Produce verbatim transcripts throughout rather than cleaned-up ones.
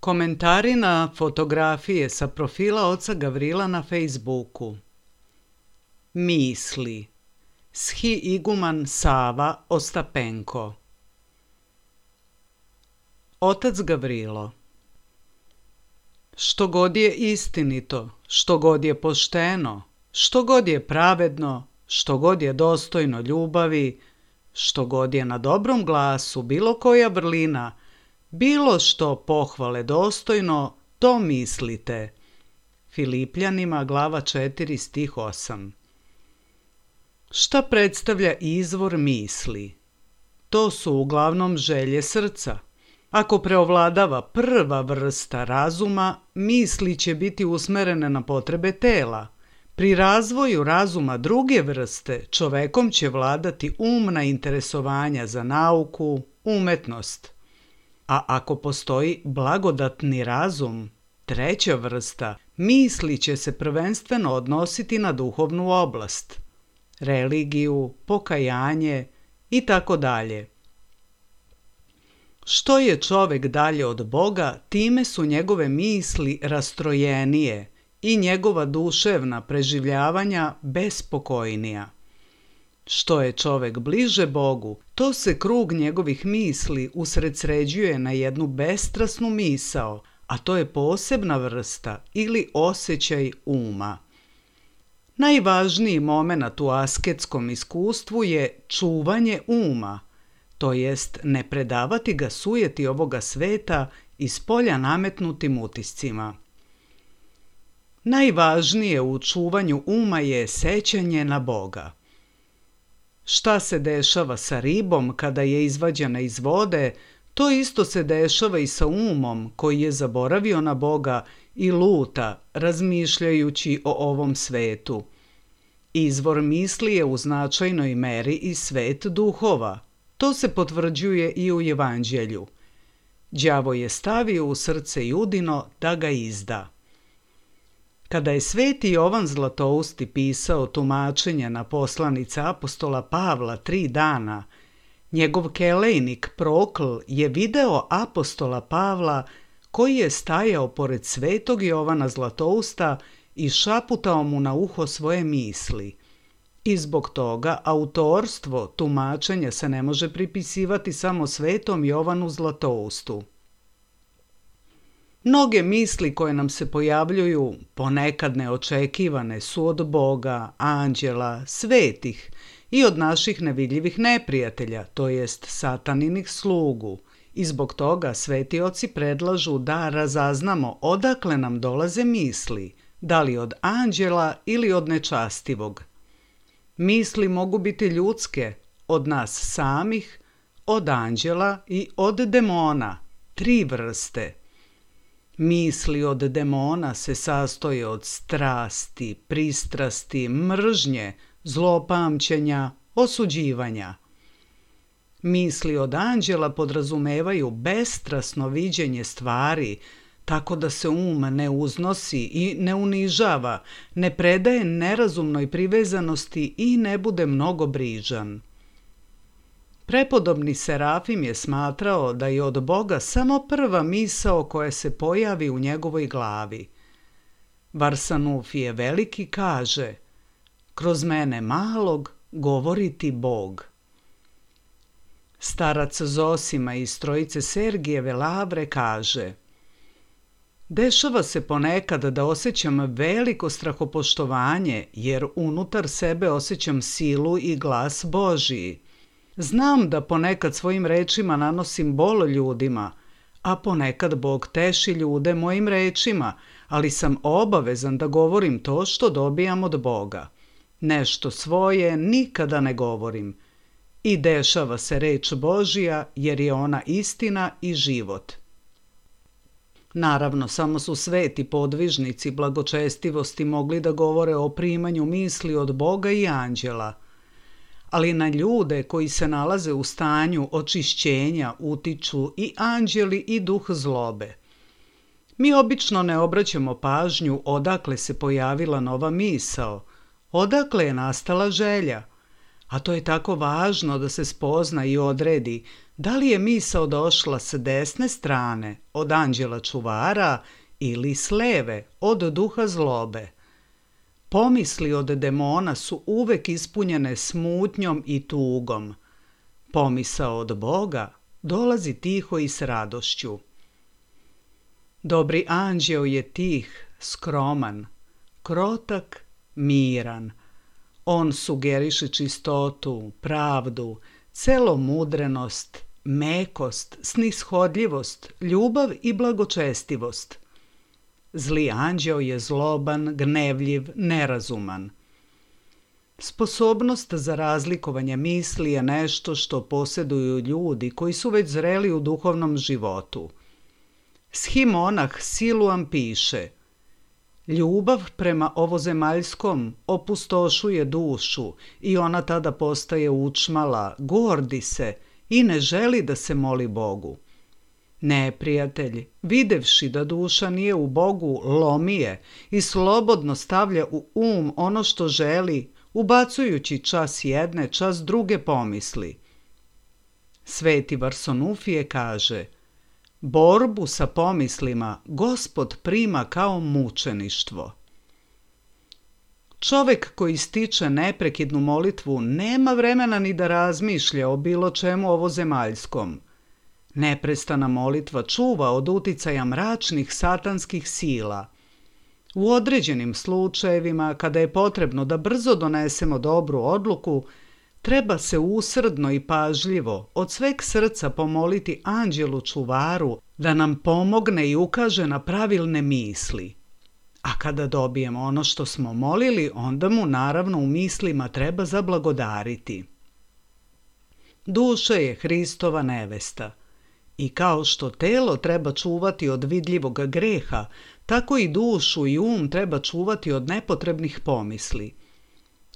Komentari na fotografije sa profila oca Gavrila na Facebooku. Misli. Schi iguman Sava Ostapenko. Otac Gavrilo. Što god je istinito, što god je pošteno, što god je pravedno, što god je dostojno ljubavi, što god je na dobrom glasu, bilo koja vrlina, bilo što pohvale dostojno, to mislite. Filipljanima glava četiri stih osam. Šta predstavlja izvor misli? To su uglavnom želje srca. Ako preovladava prva vrsta razuma, misli će biti usmerene na potrebe tela. Pri razvoju razuma druge vrste čovekom će vladati umna interesovanja za nauku, umetnost. A ako postoji blagodatni razum, treća vrsta, misli će se prvenstveno odnositi na duhovnu oblast, religiju, pokajanje i tako dalje. Što je čovek dalje od Boga, time su njegove misli rastrojenije i njegova duševna preživljavanja bespokojnija. Što je čovek bliže Bogu, to se krug njegovih misli usredsređuje na jednu bestrasnu misao, a to je posebna vrsta ili osjećaj uma. Najvažniji moment u asketskom iskustvu je čuvanje uma, to jest ne predavati ga sujeti ovoga sveta i spolja nametnutim utiscima. Najvažnije u čuvanju uma je sećanje na Boga. Šta se dešava sa ribom kada je izvađena iz vode, to isto se dešava i sa umom koji je zaboravio na Boga i luta razmišljajući o ovom svetu. Izvor misli je u značajnoj meri i svet duhova. To se potvrđuje i u Evanđelju. Đavo je stavio u srce Judino da ga izda. Kada je sveti Jovan Zlatousti pisao tumačenje na poslanice apostola Pavla tri dana, njegov kelejnik Prokl je video apostola Pavla koji je stajao pored svetog Jovana Zlatousta i šaputao mu na uho svoje misli. I zbog toga autorstvo tumačenja se ne može pripisivati samo svetom Jovanu Zlatoustu. Mnoge misli koje nam se pojavljuju, ponekad neočekivane, su od Boga, anđela, svetih i od naših nevidljivih neprijatelja, to jest sataninih slugu. I zbog toga sveti oci predlažu da razaznamo odakle nam dolaze misli, da li od anđela ili od nečastivog. Misli mogu biti ljudske, od nas samih, od anđela i od demona, tri vrste. Misli od demona se sastoje od strasti, pristrasti, mržnje, zlopamćenja, osuđivanja. Misli od anđela podrazumevaju bestrasno viđenje stvari, tako da se um ne uznosi i ne unižava, ne predaje nerazumnoj privezanosti i ne bude mnogo brižan. Prepodobni Serafim je smatrao da je od Boga samo prva misao koja se pojavi u njegovoj glavi. Varsanufije Veliki kaže: kroz mene malog govori ti Bog. Starac Zosima iz Trojice Sergijeve Lavre kaže: dešava se ponekad da osjećam veliko strahopoštovanje, jer unutar sebe osjećam silu i glas Božiji. Znam da ponekad svojim rečima nanosim bol ljudima, a ponekad Bog teši ljude mojim rečima, ali sam obavezan da govorim to što dobijam od Boga. Nešto svoje nikada ne govorim. I dešava se reč Božija, jer je ona istina i život. Naravno, samo su sveti podvižnici blagočestivosti mogli da govore o primanju misli od Boga i anđela, ali na ljude koji se nalaze u stanju očišćenja utiču i anđeli i duh zlobe. Mi obično ne obraćamo pažnju odakle se pojavila nova misao, odakle je nastala želja, a to je tako važno da se spozna i odredi da li je misao došla s desne strane od anđela čuvara ili s leve od duha zlobe. Pomisli od demona su uvek ispunjene smutnjom i tugom. Pomisao od Boga dolazi tiho i s radošću. Dobri anđeo je tih, skroman, krotak, miran. On sugeriše čistotu, pravdu, celomudrenost, mekost, snishodljivost, ljubav i blagočestivost. Zli anđeo je zloban, gnevljiv, nerazuman. Sposobnost za razlikovanje misli je nešto što posjeduju ljudi koji su već zreli u duhovnom životu. Shimonah Siluan piše: ljubav prema ovozemaljskom opustošuje dušu i ona tada postaje učmala, gordi se i ne želi da se moli Bogu. Neprijatelj, videvši da duša nije u Bogu, lomi je i slobodno stavlja u um ono što želi, ubacujući čas jedne, čas druge pomisli. Sveti Varsanufije kaže: borbu sa pomislima Gospod prima kao mučeništvo. Čovek koji stiče neprekidnu molitvu nema vremena ni da razmišlja o bilo čemu ovozemaljskom. Neprestana molitva čuva od uticaja mračnih satanskih sila. U određenim slučajevima, kada je potrebno da brzo donesemo dobru odluku, treba se usrdno i pažljivo od sveg srca pomoliti anđelu čuvaru da nam pomogne i ukaže na pravilne misli. A kada dobijemo ono što smo molili, onda mu naravno u mislima treba zablagodariti. Duša je Hristova nevesta. I kao što telo treba čuvati od vidljivog greha, tako i dušu i um treba čuvati od nepotrebnih pomisli.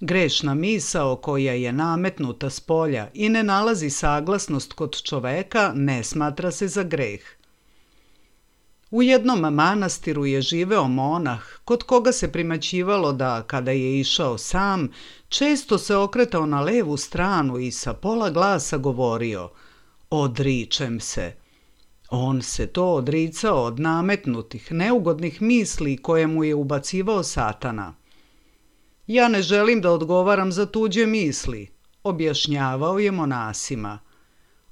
Grešna misao koja je nametnuta s polja i ne nalazi saglasnost kod čoveka ne smatra se za greh. U jednom manastiru je živeo monah kod koga se primećivalo da, kada je išao sam, često se okretao na levu stranu i sa pola glasa govorio: odričem se. On se to odricao od nametnutih, neugodnih misli koje mu je ubacivao Satana. Ja ne želim da odgovaram za tuđe misli, objašnjavao je monasima.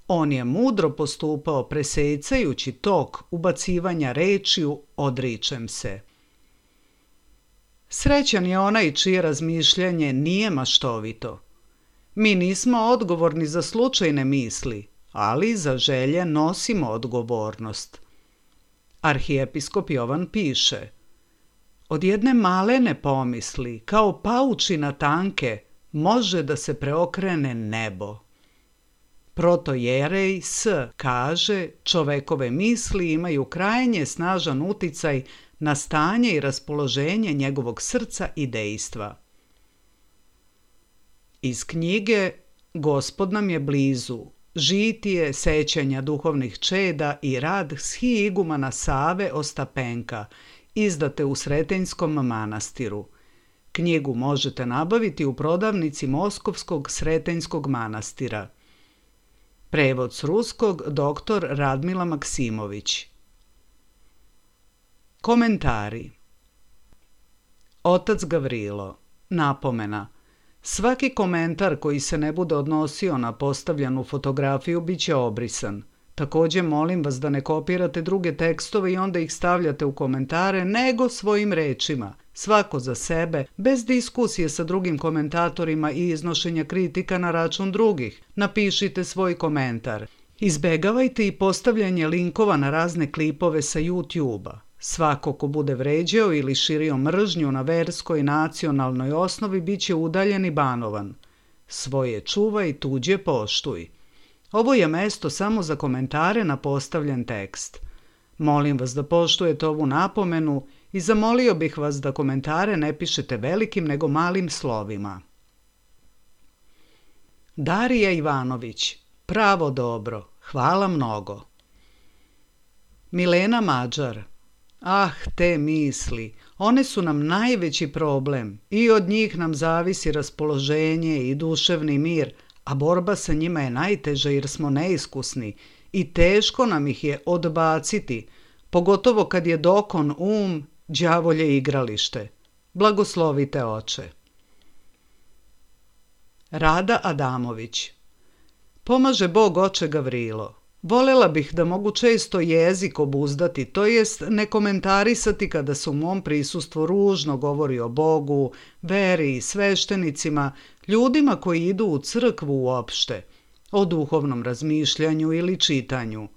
On je mudro postupao presecajući tok ubacivanja rečiju odričem se. Srećan je onaj čije razmišljanje nije maštovito. Mi nismo odgovorni za slučajne misli, ali za želje nosimo odgovornost. Arhijepiskop Jovan piše: od jedne malene pomisli, kao paučina tanke, može da se preokrene nebo. Protojerej S kaže, čovekove misli imaju krajnje snažan uticaj na stanje i raspoloženje njegovog srca i dejstva. Iz knjige Gospod nam je blizu, žitije sećanja duhovnih čeda i rad schiigumana Save Ostapenka, izdate u Sretenjskom manastiru. Knjigu možete nabaviti u prodavnici Moskovskog Sretenjskog manastira. Prevod s ruskog doktor Radmila Maksimović. Komentari. Otac Gavrilo. Napomena. Svaki komentar koji se ne bude odnosio na postavljenu fotografiju bit će obrisan. Također molim vas da ne kopirate druge tekstove i onda ih stavljate u komentare, nego svojim rečima, svako za sebe, bez diskusije sa drugim komentatorima i iznošenja kritika na račun drugih. Napišite svoj komentar. Izbegavajte i postavljanje linkova na razne klipove sa YouTube-a. Svako ko bude vređao ili širio mržnju na verskoj i nacionalnoj osnovi bit će udaljen i banovan. Svoje čuvaj, tuđe poštuj. Ovo je mesto samo za komentare na postavljen tekst. Molim vas da poštujete ovu napomenu i zamolio bih vas da komentare ne pišete velikim nego malim slovima. Darija Ivanović. Pravo dobro. Hvala mnogo. Milena Mađar. Ah, te misli, one su nam najveći problem i od njih nam zavisi raspoloženje i duševni mir, a borba sa njima je najteža jer smo neiskusni i teško nam ih je odbaciti, pogotovo kad je dokon um, đavolje igralište. Blagoslovite oče. Rada Adamović. Pomaže Bog oče Gavrilo. Volela bih da mogu često jezik obuzdati, to jest ne komentarisati kada se u mom prisustvu ružno govori o Bogu, veri, sveštenicima, ljudima koji idu u crkvu uopšte, o duhovnom razmišljanju ili čitanju.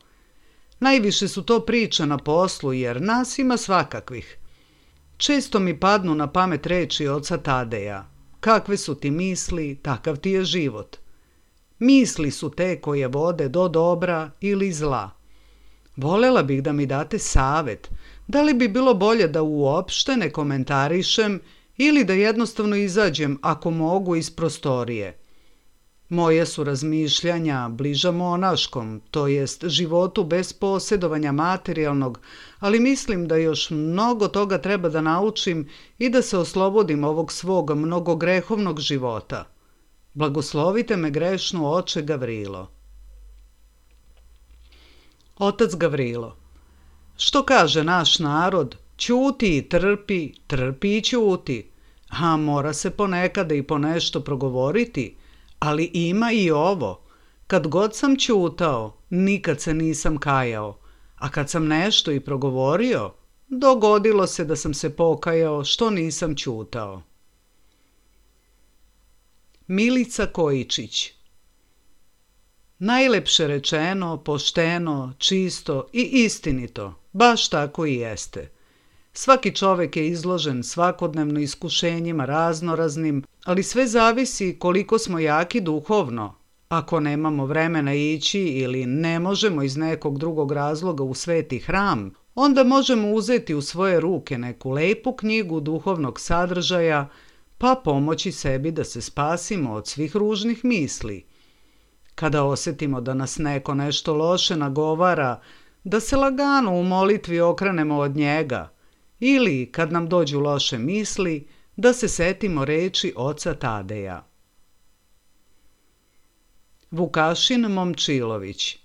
Najviše su to priče na poslu jer nas ima svakakvih. Često mi padnu na pamet reči oca Tadeja. Kakve su ti misli, takav ti je život. Misli su te koje vode do dobra ili zla. Volela bih da mi date savet, da li bi bilo bolje da uopšte ne komentarišem ili da jednostavno izađem ako mogu iz prostorije. Moje su razmišljanja bliža monaškom, to jest životu bez posjedovanja materijalnog, ali mislim da još mnogo toga treba da naučim i da se oslobodim ovog svog mnogogrehovnog života. Blagoslovite me grešnu oče Gavrilo. Otac Gavrilo. Što kaže naš narod? Ćuti i trpi, trpi i ćuti. A mora se ponekada i po nešto progovoriti, ali ima i ovo. Kad god sam ćutao, nikad se nisam kajao, a kad sam nešto i progovorio, dogodilo se da sam se pokajao što nisam ćutao. Milica Kojičić. Najlepše rečeno, pošteno, čisto i istinito, baš tako i jeste. Svaki čovek je izložen svakodnevno iskušenjima raznoraznim, ali sve zavisi koliko smo jaki duhovno. Ako nemamo vremena ići ili ne možemo iz nekog drugog razloga u sveti hram, onda možemo uzeti u svoje ruke neku lepu knjigu duhovnog sadržaja, pa pomoći sebi da se spasimo od svih ružnih misli. Kada osjetimo da nas neko nešto loše nagovara, da se lagano u molitvi okrenemo od njega, ili kad nam dođu loše misli, da se setimo reči oca Tadeja. Vukašin Momčilović.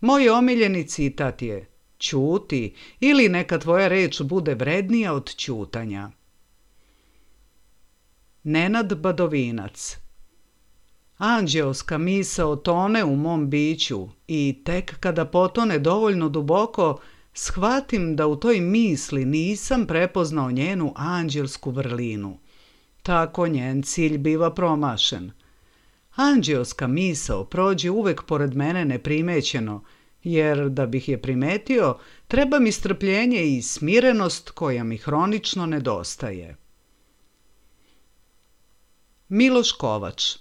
Moj omiljeni citat je: ćuti ili neka tvoja reč bude vrednija od ćutanja. Nenad Badovinac. Anđeoska misao tone u mom biću i tek kada potone dovoljno duboko, shvatim da u toj misli nisam prepoznao njenu anđelsku vrlinu. Tako njen cilj biva promašen. Anđeoska misao prođe uvek pored mene neprimećeno, jer da bih je primetio, treba mi strpljenje i smirenost koja mi hronično nedostaje. Miloš Kovač.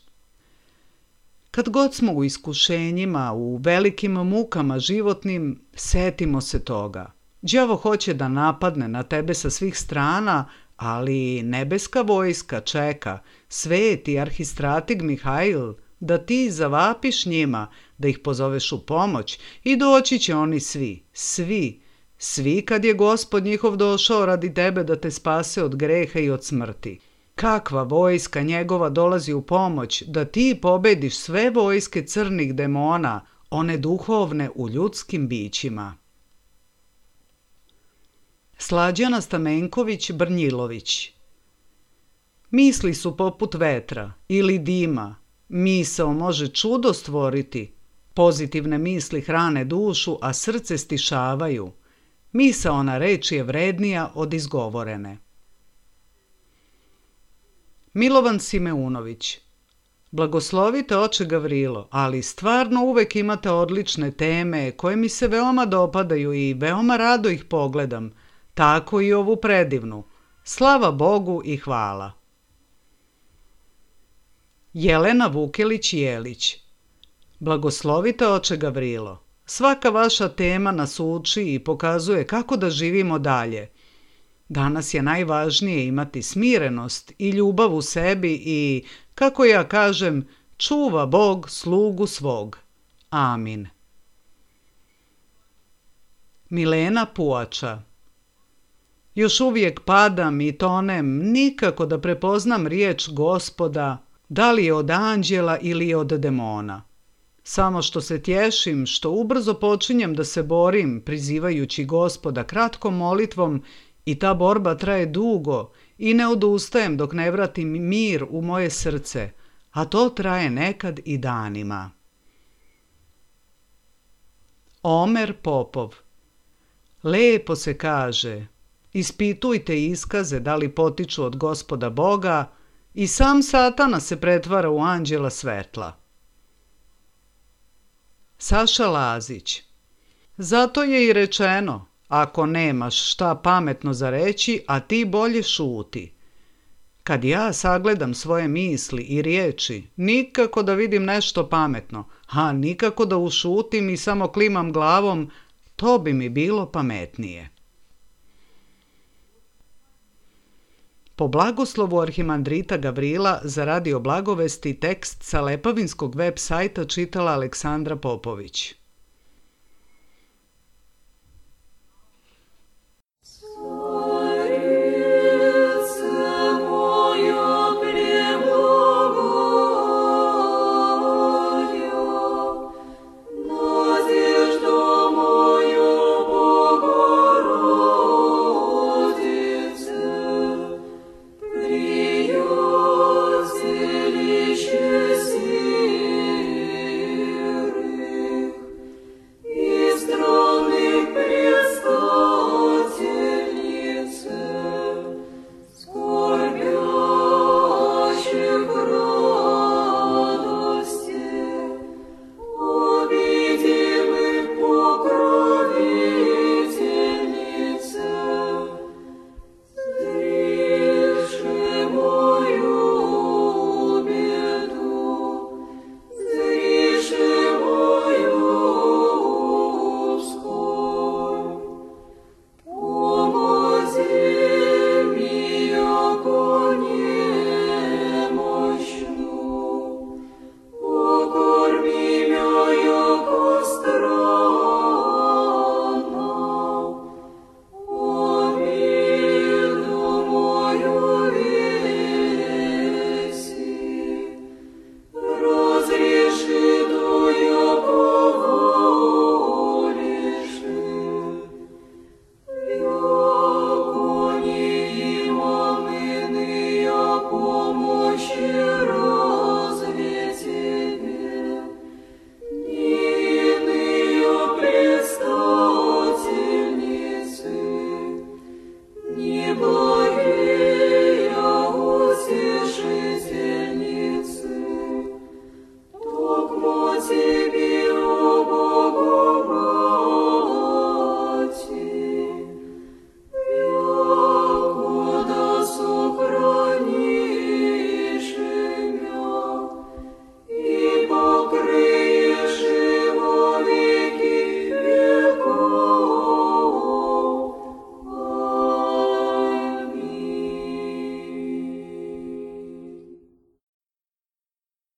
Kad god smo u iskušenjima, u velikim mukama životnim, setimo se toga. Đavo hoće da napadne na tebe sa svih strana, ali nebeska vojska čeka, sveti arhistratig Mihajl, da ti zavapiš njima, da ih pozoveš u pomoć i doći će oni svi, svi, svi kad je Gospod njihov došao radi tebe da te spase od greha i od smrti. Kakva vojska njegova dolazi u pomoć da ti pobediš sve vojske crnih demona, one duhovne u ljudskim bićima. Slađana Stamenković Brnjilović. Misli su poput vetra ili dima. Misao može čudo stvoriti. Pozitivne misli hrane dušu, a srce stišavaju. Misaona reč je vrednija od izgovorene. Milovan Simeunović. Blagoslovite oče Gavrilo, ali stvarno uvek imate odlične teme koje mi se veoma dopadaju i veoma rado ih pogledam. Tako i ovu predivnu. Slava Bogu i hvala. Jelena Vukelić-Jelić. Blagoslovite oče Gavrilo. Svaka vaša tema nas uči i pokazuje kako da živimo dalje. Danas je najvažnije imati smirenost i ljubav u sebi i, kako ja kažem, čuva Bog slugu svog. Amin. Milena Puača. Još uvijek padam i tonem, nikako da prepoznam riječ Gospoda, da li je od anđela ili od demona. Samo što se tješim, što ubrzo počinjem da se borim, prizivajući Gospoda kratkom molitvom, i ta borba traje dugo i ne odustajem dok ne vratim mir u moje srce, a to traje nekad i danima. Omer Popov. Lepo se kaže, ispitujte iskaze da li potiču od Gospoda Boga, i sam Satana se pretvara u anđela svetla. Saša Lazić. Zato je i rečeno, ako nemaš šta pametno za reći, a ti bolje šuti. Kad ja sagledam svoje misli i riječi, nikako da vidim nešto pametno, a nikako da ušutim i samo klimam glavom, to bi mi bilo pametnije. Po blagoslovu arhimandrita Gavrila za Radio Blagovesti tekst sa Lepavinskog web sajta čitala Aleksandra Popović.